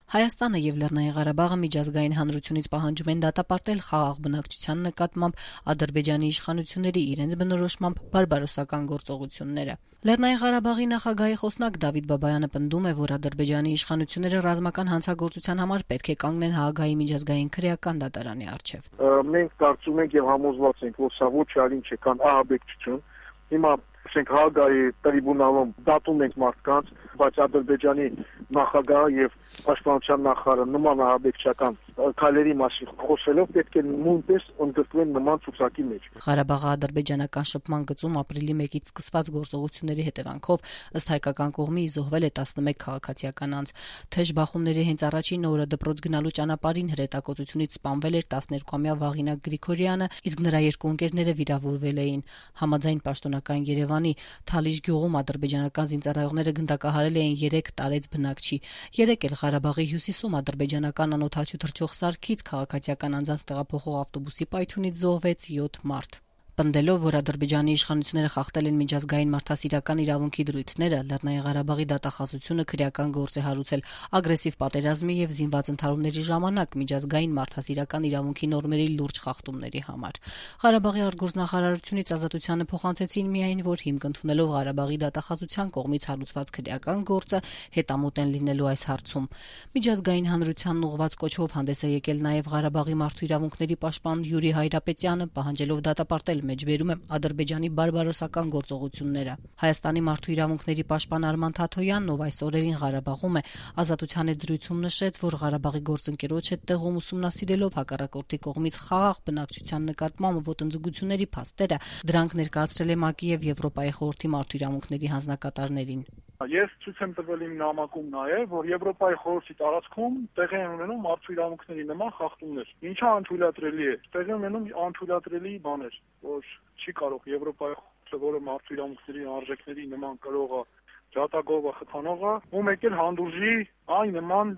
Հայաստանը եւ Լեռնային Ղարաբաղը միջազգային հանրությունից պահանջում են դատապարտել խաղաղ բնակչության նկատմամբ Ադրբեջանի իշխանությունների իրենց բնորոշմամբ բարբարոսական գործողությունները։ Լեռնային Ղարաբաղի նախագահի խոսնակ Դավիթ Բաբայանը պնդում է, որ Ադրբեջանի իշխանությունները ռազմական հանցագործության համար պետք է կանգնեն Հաագայի միջազգային քրեական դատարանի առջև։ Մենք կարծում ենք եւ համոզված ենք, որ սա ոչ այլ ինչ է, քան ահաբեկչություն։ Հիմա Հաագայի տրիբունալում դատում ենք մարդկանց, բայց Ադրբեջանի նախագահը եւ պաշտպանության նախարարը նման ահաբեկչական քայլերի մասին խոսելով պետք է նույնպես ընդգրկվեն նման ցուցակի մեջ։ Ղարաբաղի ադրբեջանական շփման գծում ապրիլի 1-ից սկսված գործողությունների հետևանքով ըստ հայկական կողմի զոհվել է 11 քաղաքացիական անձ։ Թեժ բախումների հենց առաջին օրը դպրոց գնալու ճանապարհին հրետակոծությունից սպանվել էր 12-ամյա Վաղինակ Գրիգորյանը, իսկ նրա երկու ընկերները վիրավորվել էին։ Համաձայն պաշտոնական Երևանի Թալիշ գյուղում ադրբեջանական զինծառայողները գնդակահարել էին 3 տարեց բնակչի։ 3 էլ Ղարաբաղի հյուսիսում ադրբեջանական անօդաչու թռչող սարքից քաղաքացիական անձանց տեղափոխող ավտոբուսի պայթյունից զոհվեց 7 մարդ։ Պնդելով, որ Ադրբեջանի իշխանությունները խախտել են միջազգային մարդասիրական իրավունքի դրույթները, Լեռնային Ղարաբաղի դատախազությունը քրեական գործ է հարուցել ագրեսիվ պատերազմի եւ զինված ընդհարումների ժամանակ միջազգային մարդասիրական իրավունքի նորմերի լուրջ խախտումների համար։ Ղարաբաղի արտգործնախարարությունից Ազատությանը փոխանցեցին միայն, որ հիմք ընդունելով Ղարաբաղի դատախազության կողմից հարուցված քրեական գործը հետամուտ են լինելու այս հարցում։ Միջազգային հանրությանն ուղղված կոչով հանդես է եկել նաեւ Ղարաբաղի մարդու իրավունքների պաշտպան Յուրի Հայրապետյանը, պահանջելով դատապարտել մեջբերում է Ադրբեջանի բարբարոսական գործողությունները։ Հայաստանի մարդու իրավունքների պաշտպան Արման Թաթոյանն, ով այս օրերին Ղարաբաղում է, Ազատության հետ զրույցում նշեց, որ Ղարաբաղի գործընկերոջ հետ տեղում ուսումնասիրելով հակառակորդի կողմից խաղաղ բնակչության նկատմամբ ոտնձգությունների փաստերը, դրանք ներկայացրել է ՄԱԿ-ի եւ Եվրոպայի խորհրդի մարդու իրավունքների հանձնակատարներին։ Ես ցույց եմ տվել իմ նամակում նաև, որ Եվրոպայի խորհրդի տարածքում տեղի են ունենում մարդու իրավունքների նման խախտումներ։ Ինչը անթույլատրելի է։ Տեղի ունենում անթույլատրելի բաներ, որ չի կարող Եվրոպայի խորհուրդը, որը մարդու իրավունքների արժեքների նման կրողը, ջատագովը, խթանողը, ու մեկ էլ հանդուրժի այն նման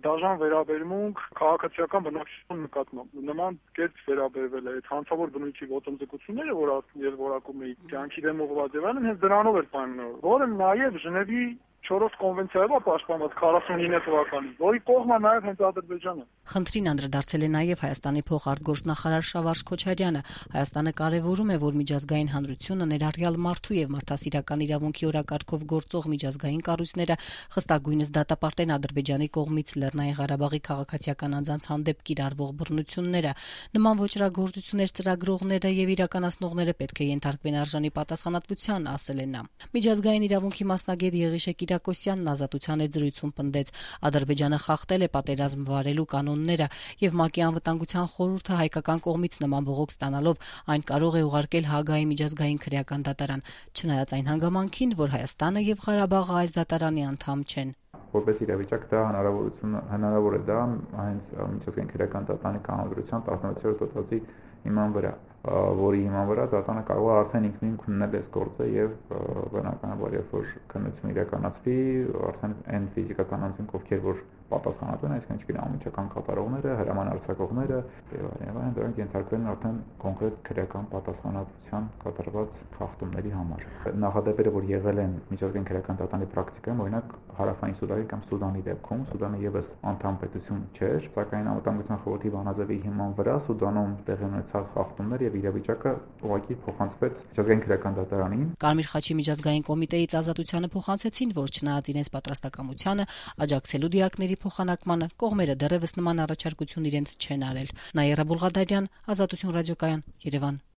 դաժան վերաբերմունք քաղաքացիական բնակչության նկատմամբ։ Նման կերպ վերաբերվել է այդ հանցավոր բնույթի ոտնձգությունները, որ ես որակում էի կյանքի դեմ ուղղված եւ այլն, հենց դրանով էր պայմանավորված, որը նաեւ Ժնևի 4-րդ կոնվենցիայով է պաշտպանված 49 թվականին, որի կողմն է նաև հենց Ադրբեջանը։ Խնդրին անդրադարձել է նաև Հայաստանի փոխարտգործնախարար Շավարժ Քոչարյանը։ Հայաստանը կարևորում է, որ միջազգային հանրությունը ներառյալ մարդու եւ մարդասիրական իրավունքի օրակարգով գործող միջազգային կառույցները խստագույնս դատապարտեն Ադրբեջանի կողմից Լեռնային Ղարաբաղի քաղաքացիական անձանց հանդեպ կիրառվող բռնությունները։ Նման ոճրագործություններ ծրագրողները եւ իրականացնողները պետք է ենթարկվեն արժանի պատասխանատվության, ասել է նա։ Միջազգային իրավունքի մասնագետ Եղիշե Կիրակոսյանն Ազատության հետ զրույցում պնդեց, Ադրբեջանը խախտել է պատերազմ վարելու կանոնները եւ ՄԱԿ-ի անվտանգության խորհուրդը հայկական կողմից նման բողոք ստանալով այն կարող է ուղարկել Հաագայի միջազգային քրեական դատարան, չնայած այն հանգամանքին, որ Հայաստանը եւ Ղարաբաղը այս դատարանի անդամ չեն։ Որպես իրավիճակ դա հնարավոր է դա հենց միջազգային քրեական դատարանի կանոնադրության 16-րդ հոդվածի հիման վրա, որի հիման վրա դատարանը կարող է արդեն ինքնին քննել այս գործը եւ բնականաբար երբ որ քննություն իրականացվի, արդեն այն ֆիզիկական անձինք, ովքեր որ պատասխանատու են, այսինքն ինչքան անմիջական կատարողները, հրաման արձակողները եւ այլն, դրանք ենթարկվեն արդեն կոնկրետ քրեական պատասխանատվության կատարված խախտումների համար։ Նախադեպերը, որ եղել են միջազգային քրեական դատարանի պրակտիկայում, օրինակ Հարավային Սուդանի կամ Սուդանի դեպքում, Սուդանը եւս անդամ պետություն չէր, սակայն անվտանգության խորհրդի բանաձևի հիման վրա Սուդանում տեղի ունեցած խախտումներ եւ իրավիճակը ուղղակի փոխանցվեց միջազգային քրեական դատարանին։ Կարմիր խաչի միջազգային կոմիտեից Ազատությանը փոխանցեցին, որ չնայած իրենց պատրաստակամությանը աջակցելու դիակների փոխանակմանը կողմերը դեռևս նման առաջարկություն իրենց չեն արել։ Նաիրա Բուլղադարյան, Ազատություն ռադիոկայան, Երևան։